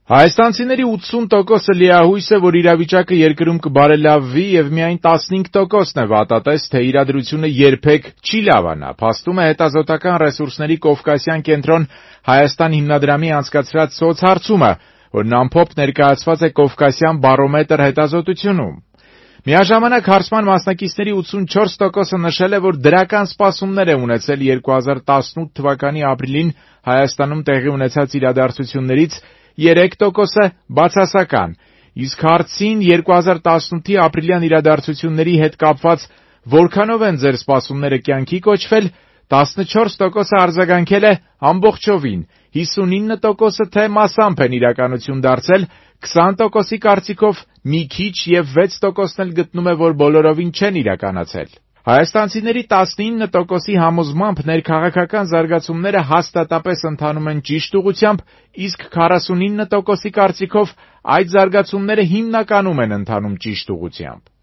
Հայաստանցիների 80%-ը լիահույս է, որ իրավիճակը երկրում կբարելավվի եւ միայն 15%-ն է վատատես, թե իրադրությունը երբեք չի լավանա, փաստում է հետազոտական ռեսուրսների Կովկասյան կենտրոն Հայաստան հիմնադրամի անցկացրած սոցհարցումը, որն ամփոփ ներկայացված է Կովկասյան բարոմետր հետազոտությունում։ Միաժամանակ հարցման մասնակիցների 84%-ը նշել է, որ դրական սպասումներ է ունեցել 2018 թվականի ապրիլին Հայաստանում տեղի ունեցած իրադարձություններից, 3%-ը բացասական, իսկ հարցին 2018-ի ապրիլյան իրադարձությունների հետ կապված որքանով են ձեր սպասումները կյանքի կոչվել, 14%-ը արձագանքել է ամբողջովին, 59%-ը թե մասամբ են իրականություն դարձել, 20%-ի կարծիքով մի քիչ եւ 6%-ն էլ գտնում է, որ բոլորովին չեն իրականացել։ Հայաստանցիների 19%-ի համոզմամբ ներքաղաքական զարգացումները հաստատապես ընթանում են ճիշտ ուղղությամբ, իսկ 49%-ի կարծիքով այդ զարգացումները հիմնականում են ընթանում ճիշտ ուղղությամբ։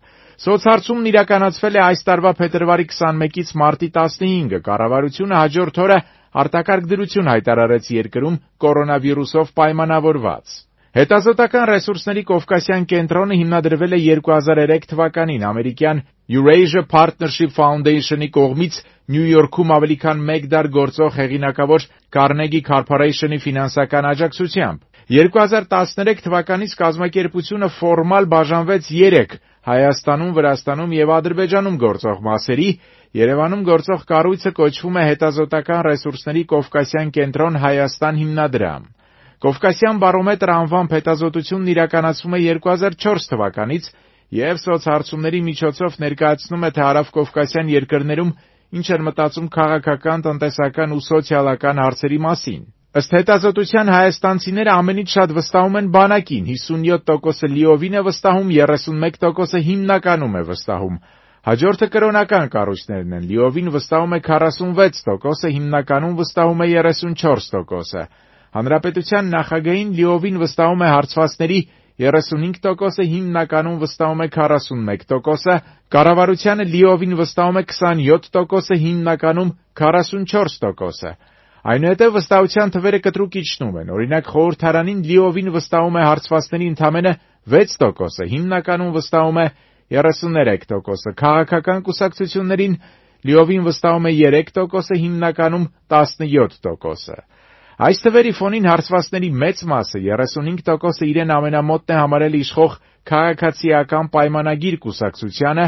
Սոցհարցումն իրականացվել է այս տարվա փետրվարի 21-ից մարտի 15-ը, կառավարությունը հաջորդ օրը արտակարգ դրություն հայտարարեց երկրում կորոնավիրուսով պայմանավորված։ Հետազոտական ռեսուրսների Կովկասյան կենտրոնը հիմնադրվել է 2003 թվականին ամերիկյան Eurasia Partnership Foundation-ի կողմից Նյու Յորքում ավելի քան 1 դար գործող հեղինակավոր Carnegie Corporation-ի ֆինանսական աջակցությամբ։ 2013 թվականից կազմակերպությունը ֆորմալ բաժանվեց 3 Հայաստանում, Վրաստանում եւ Ադրբեջանում գործող մասերի, Երևանում գործող կառույցը կոչվում է Հետազոտական ռեսուրսների Կովկասյան կենտրոն Հայաստան հիմնադրամ։ Կովկասյան բարոմետր անվամբ հետազոտությունն իրականացվում է 2004 թվականից եւ սոցհարցումների միջոցով ներկայացնում է, թե հարավկովկասյան երկրներում ինչ են մտածում քաղաքական, տնտեսական ու սոցիալական հարցերի մասին։ Ըստ հետազոտության հայաստանցիները ամենից շատ վստահում են բանակին, 57%-ը լիովին է վստահում, 31%-ը հիմնականում է վստահում։ Հաջորդը կրոնական կառույցներն են, լիովին վստահում է 46%-ը, հիմնականում վստահում է 34%-ը։ Հանրապետության նախագահին լիովին վստահում է հարցվածների 35%-ը, հիմնականում վստահում է 41%-ը, կառավարությանը լիովին վստահում է 27%-ը, հիմնականում 44%-ը։ Այնուհետև վստահության թվերը կտրուկ իջնում են, օրինակ խորհրդարանին լիովին վստահում է հարցվածների ընդամենը 6%-ը, հիմնականում վստահում է 33%-ը, քաղաքական կուսակցություններին լիովին վստահում է 3%-ը, հիմնականում 17%-ը։ Այս թվերի ֆոնին հարցվածների մեծ մասը, 35%-ը իրեն ամենամոտն է համարել իշխող քաղաքացիական պայմանագիր կուսակցությանը,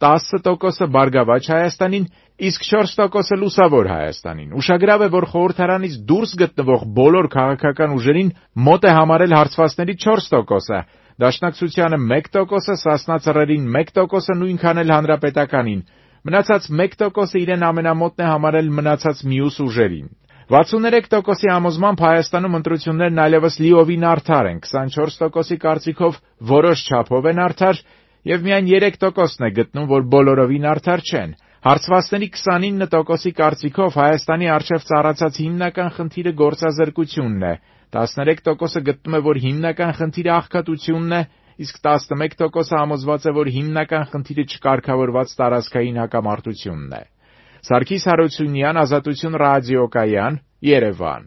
10%-ը Բարգավաճ Հայաստանին, իսկ 4%-ը Լուսավոր Հայաստանին։ Ուշագրավ է, որ խորհրդարանից դուրս գտնվող բոլոր քաղաքական ուժերին մոտ է համարել հարցվածների 4%-ը, Դաշնակցությանը 1%-ը, Սասնա Ծռերին 1%-ը, նույնքան էլ Հանրապետականին։ Մնացած 1%-ը իրեն ամենամոտն է համարել մնացած մյուս ուժերին։ 63%-ի համոզմամբ Հայաստանում ընտրություններն այլևս լիովին արդար են, 24%-ի կարծիքով որոշ չափով են արդար եւ միայն 3%-ն է գտնում, որ բոլորովին արդար չեն։ Հարցվածների 29%-ի կարծիքով Հայաստանի առջև ծառացած հիմնական խնդիրը գործազրկությունն է, 13%-ը գտնում է, որ հիմնական խնդիրը աղքատությունն է, իսկ 11%-ը համոզված է, որ հիմնական խնդիրը չկարգավորված տարածքային հակամարտությունն է։ Սարգիս Հարությունյան, Ազատություն ռադիոկայան, Երևան։